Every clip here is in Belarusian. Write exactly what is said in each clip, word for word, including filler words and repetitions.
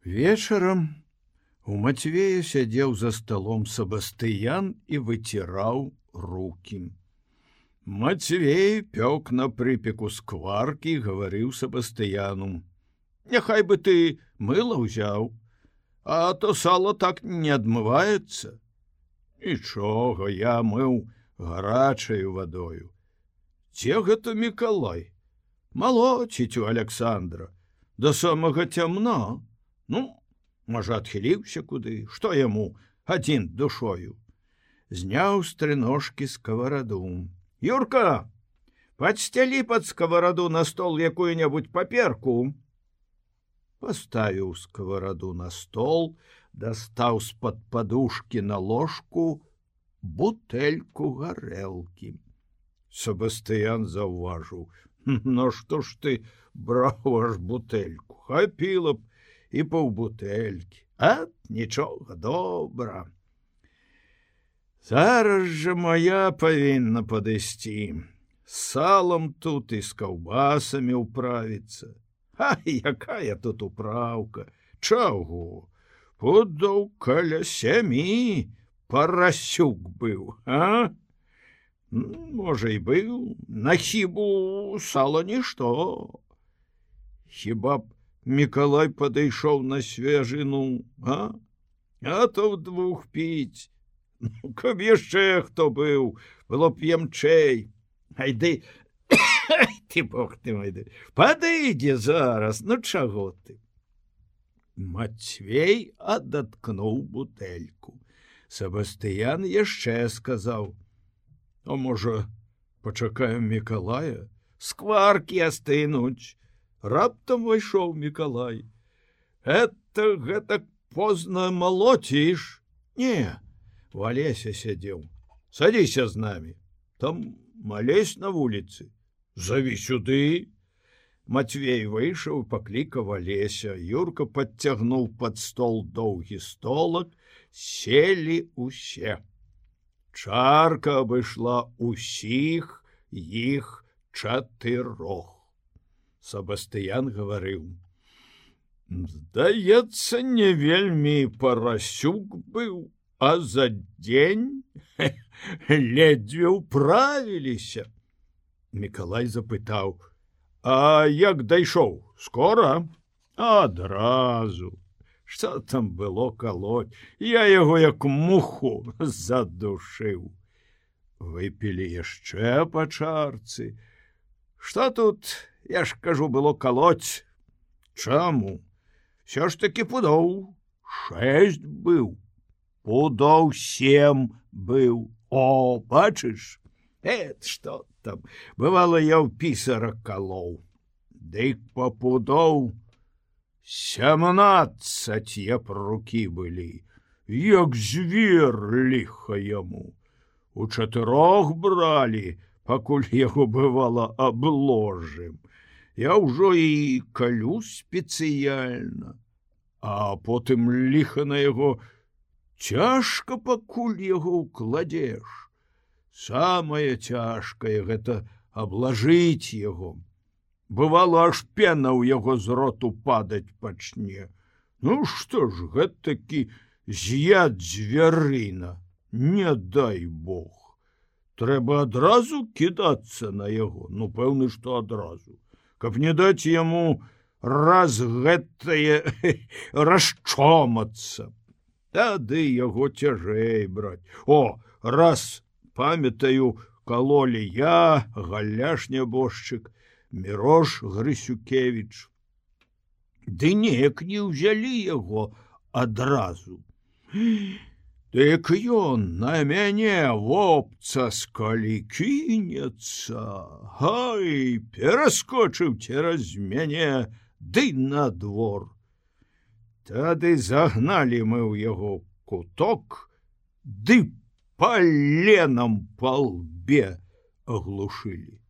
Вечарам у Мацвея сядзеў за сталом Сабастыян і выціраў рукі. Мацвей пёк на прыпеку скваркі, гаварыў Сабастыяну: «Няхай бы ты мыла ўзяў, а то сало так не адмываецца». «Нічога, я мыў гарачаю вадою». «Це гэта Мікалай? Малоціць у Аляксандра, да самага цямна. Ну, можа, адхіліўся куды, што яму адзін душою». Зняў з трыножкі скавараду. «Юрка, падсцялі пад скавараду на стол якую-небудзь паперку». Паставіў скавараду на стол, дастаў з-пад падушкі на ложку бутэльку гарэлкі. Сабастыян заўважыў: «Ну што ж ты браў аж бутэльку? Хапіла б і паўбутэлькі. А нічога, добра. Зараз жа моя павінна падысці. З салам тут і з каўбасамі ўправіцца». «А якая тут управка? Чаго? Пудоў каля сямі парасюк быў, а? Можа, і быў, на хібу сала нішто. Хіба б Мікалай падышоў на свежыну, а? А то вдвух піць. Ну, каб яшчэ хто быў, было б ямчэй. Айды, ты бог ты мой, падыдзе зараз, ну чаго ты?» Мацвей адаткнуў бутэльку. Сабастыян яшчэ сказаў: «А можа, пачакаем Мікалая? Скваркі астынуць». Раптам увайшоў Мікалай. «Это гэтак позна малоціш?» «Не, у Алеся сядзеў. Садзіся з намі. Там малесь на вуліцы. Заві сюды». Мацвей выйшаў і паклікаў Алеся. Юрка падцягнуў пад стол доўгі столак, селі усе. Чарка абышла усіх іх чатырох. Сабастыян гаварыў: «Здаецца, не вельмі парасюк быў, а за дзень ледзьве ўправіліся». Мікалай запытаў: «А як дайшоў? Скора?» «Адразу. Што там было калоць? Я яго як муху задушыў». Выпілі яшчэ па чарцы. «Што тут, я ж кажу, было калоць?» «Чаму? Всё ж таки пудоў шэсць быў. Пудоў сем быў. О, бачыш? Эт, што там, бывала, я ў пісара калоў. Дык па пудоў сямнаццаць япрукі былі, як звер, ліха яму. У чатырох бралі, пакуль яго, бывала, абложым. Я ўжо і калю спецыяльна, а потым ліха на яго цяжка, пакуль яго ўкладзеш. Самае цяжкае гэта аблажыць яго. Бывало, аж пена ў яго з роту падаць пачне. Ну што ж, гэтакі з'яд звярына, не дай бог. Трэба адразу кідацца на яго, ну, пэўны, што адразу, каб не даць яму раз гэтае расчомацца. Тады яго цяжэй браць. О, раз, памятаю, калолі я, Галяш нябожчык, Мірош Грысюкевіч. Ды неяк не ўзялі яго адразу. Дык ён на мяне вопцаскалі кінецца, гай, пераскочыў цераз мяне, ды на двор. Тады загналі мы ў яго куток, ды паленам па лбе аглушылі.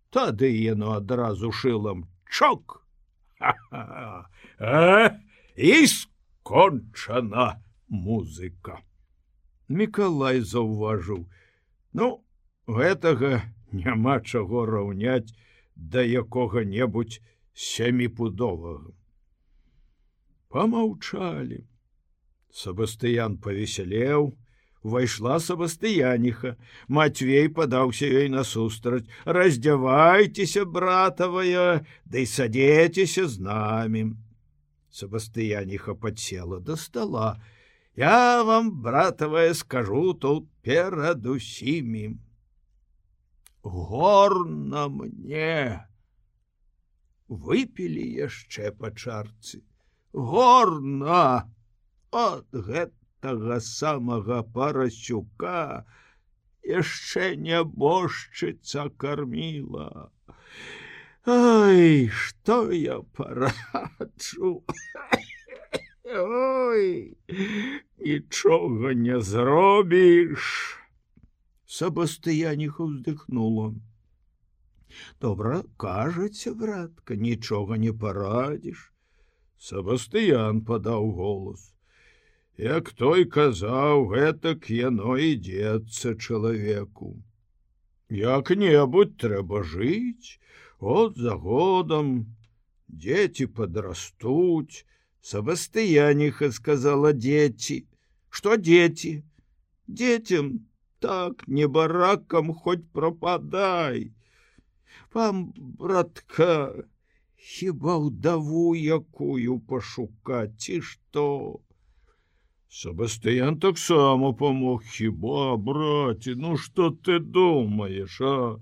Тады яно адразу шылам чок. Ха-ха! А? І скончана музыка. Мікалай заўважыў: ну, гэтага няма чаго раўняць да якога-небудзь сяміпудовага. Помаўчалі. Сабастыян павесялеў, увайшла Сабастыяніха. Матвей падаўся ёй насустрач. Раздзявайцеся, братавая, ды садзецеся з намі. Сабастыяніха падсела да стала. Я вам, братавая, скажу тут перад усімі. Горна мне. Выпілі яшчэ па чарцы. Горна от гэтага самага Парасюка яшчэ нябожчыца карміла. Ай, што я параджу. Ой, нічога не зробіш. Сабастыяніха ўздыхнула. Добра, кажаце, братка, нічога не парадзіш. Сабастыян падаў голас. Як той казаў, гэтак яно ідзецца чалавеку. Як-небудзь трэба жыць, от за годам дзеці падрастуць. Сабастыяніха сказала дзеці. Што дзеці? Дзецям так не баракам хоць прападай. Вам, братка, хіба ўдаву якую пашукаць, ці што? Сабастыян таксама памог. Хіба, браце, ну што ты думаеш, а?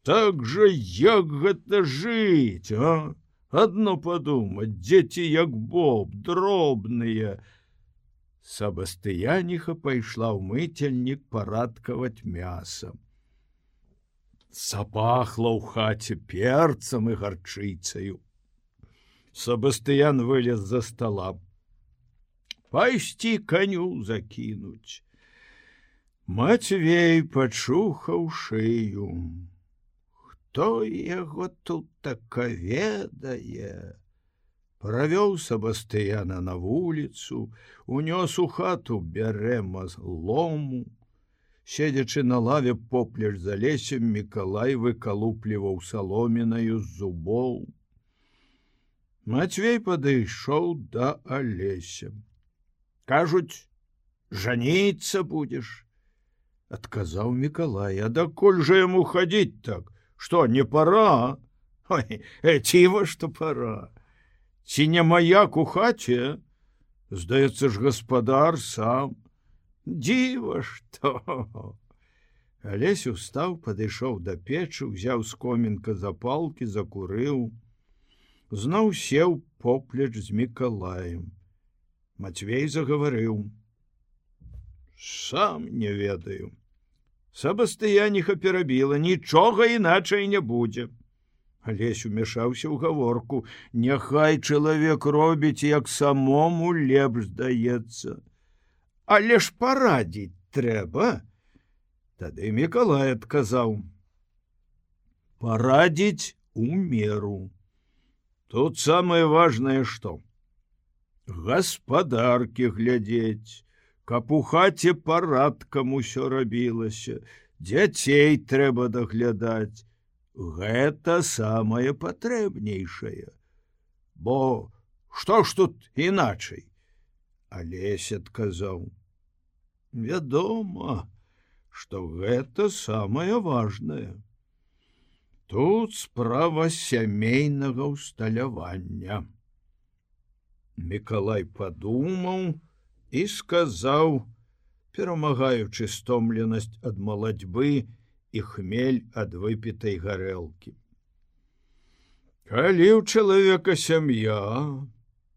Так жа як гэта жыць, а? Адно падумаць, дзеці як боб, дробныя. Сабастыяніха пайшла ў мыцельнік парадкаваць мяса. Запахла ў хаце перцам і гарчыцаю. Сабастыян вылез за стола. Пайсці каню закінуць. Матвей пачухаў шыю. Хто яго тут така ведае? Правёў Сабастыяна на вуліцу, унёс у хату бярэма лому. Седзячы на лаве поплеч за лесем, Мікалай выкалупліваў саломінаю з зубоў. Матвей падышоў да Алеся. Кажуць, жаніцца будзеш? Адказаў Мікалай. А дакуль жа яму хадзіць так? Што, не пара? Ой, ціва, што пара. Ці не маяк у хаце? Здаецца ж, гаспадар сам. Дзіва што. Алесь устаў, падышоў да печы, узяў з комінка запалкі, закурыў. Зноў сеў поплеч з Мікалаем. Матвей загаварыў. Сам не ведаю. Сабастыяніха перабіла, нічога іначай не будзе. Алесь умяшаўся ў гаворку. Няхай чалавек робіць, як самому лепш здаецца. Але ж парадзіць трэба. Тады Мікалай адказаў. Парадзіць у меру. Тут самае важнае што? Гаспадаркі глядзець, каб у хаце парадкам усё рабілася, дзяцей трэба даглядаць. Гэта самае патрэбнейшае. Бо што ж тут іначай? Алесь адказаў. Вядома, што гэта самае важнае. Тут справа сямейнага ўсталявання. Мікалай падумаў і сказаў, перамагаючы стомленасць ад малацьбы і хмель ад выпітай гарэлкі. Калі ў чалавека сям'я,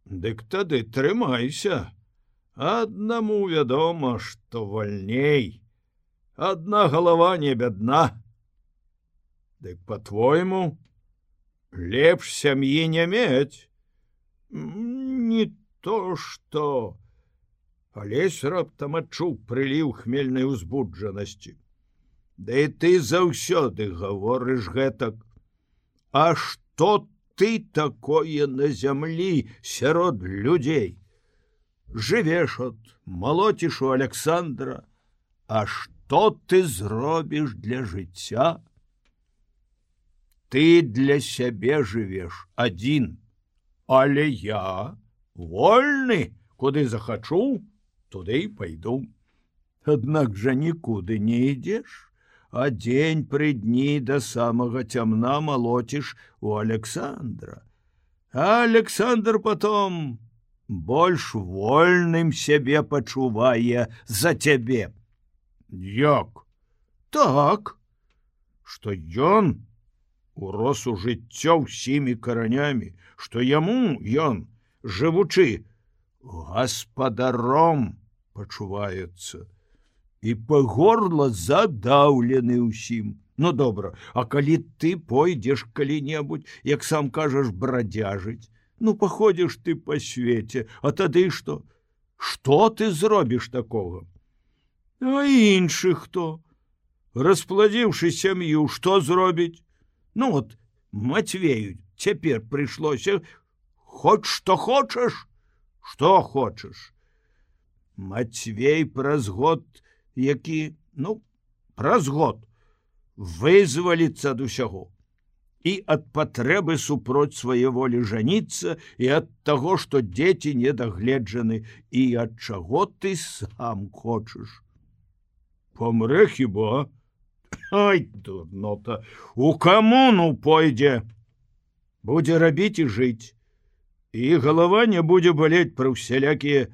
дык тады трымайся. Аднаму вядома, што вальней. Адна галава не бядна. Дык, па-твойму, лепш сям'і не мець. Не то што. Алесь раптам адчуў прыліў хмельнай узбуджанасці. Да і ты заўсёды гаворыш гэтак. А што ты такое на зямлі сярод людзей? Жывеш от, малоціш у Александра. А што ты зробіш для жыцця? Ты для сябе жывеш адзін, але я вольны, куды захачу, туды і пайду. Аднак жа нікуды не ідзеш, а дзень пры дні да самага цямна малоціш у Александра. А Александр потом больш вольным сябе пачувае за цябе. Як? Так, што ён урос у жыццё ўсімі каранямі, што яму ён, жывучы, гаспадаром пачуваецца і па горла задаўлены ўсім. Ну добра, а калі ты пойдзеш калі-небудзь, як сам кажаш, брадзяжыць, ну паходзіш ты па свеце, а тады што? Што ты зробіш такога? А іншы хто? Распладзіўшы сям'ю, што зробіць? Ну от, Матвею цяпер прыйшлося, хоць што хочаш, што хочаш. Матвей праз год, які, ну, праз год, вызваліцца ад усяго і ад патрэбы супроць свае волі жаніцца, і ад таго, што дзеці недагледжаны, і ад чаго ты сам хочаш. Помрэ хіба? Ай, дурнота, у камуну пойдзе. Будзе рабіць і жыць, і галава не будзе балець пра ўсялякія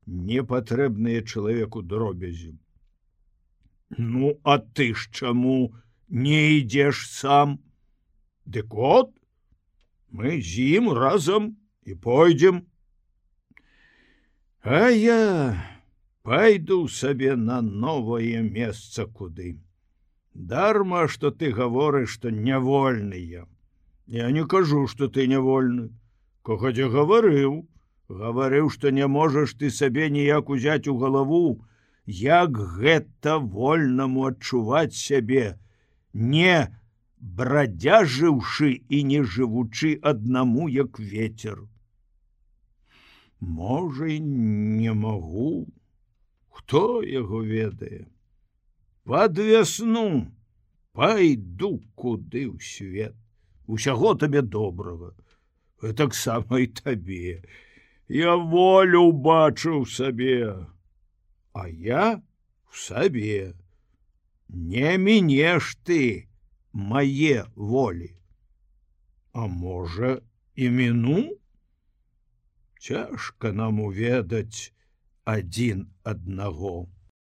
непатрэбныя чалавеку дробязі. Ну, а ты ж чаму не ідзеш сам? Дык от, мы з ім разам і пойдзем. А я пайду сабе на новае месца куды. Дарма, што ты гаворыш, што нявольны я. Я не кажу, што ты нявольны. Когадзе гаварыў, гаварыў, што не можаш ты сабе ніяк узяць у галаву, як гэта вольнаму адчуваць сябе, не брадзяжыўшы і не жывучы аднаму, як ветер. Можа, не магу, хто яго ведае. Пад вясну пайду куды ў свет. Усяго табе добрага, таксама і табе. Я волю бачу ў сабе, а я в сабе. Не мінеш ты мае волі. А можа, і міну? Цяжка нам уведаць адзін аднаго.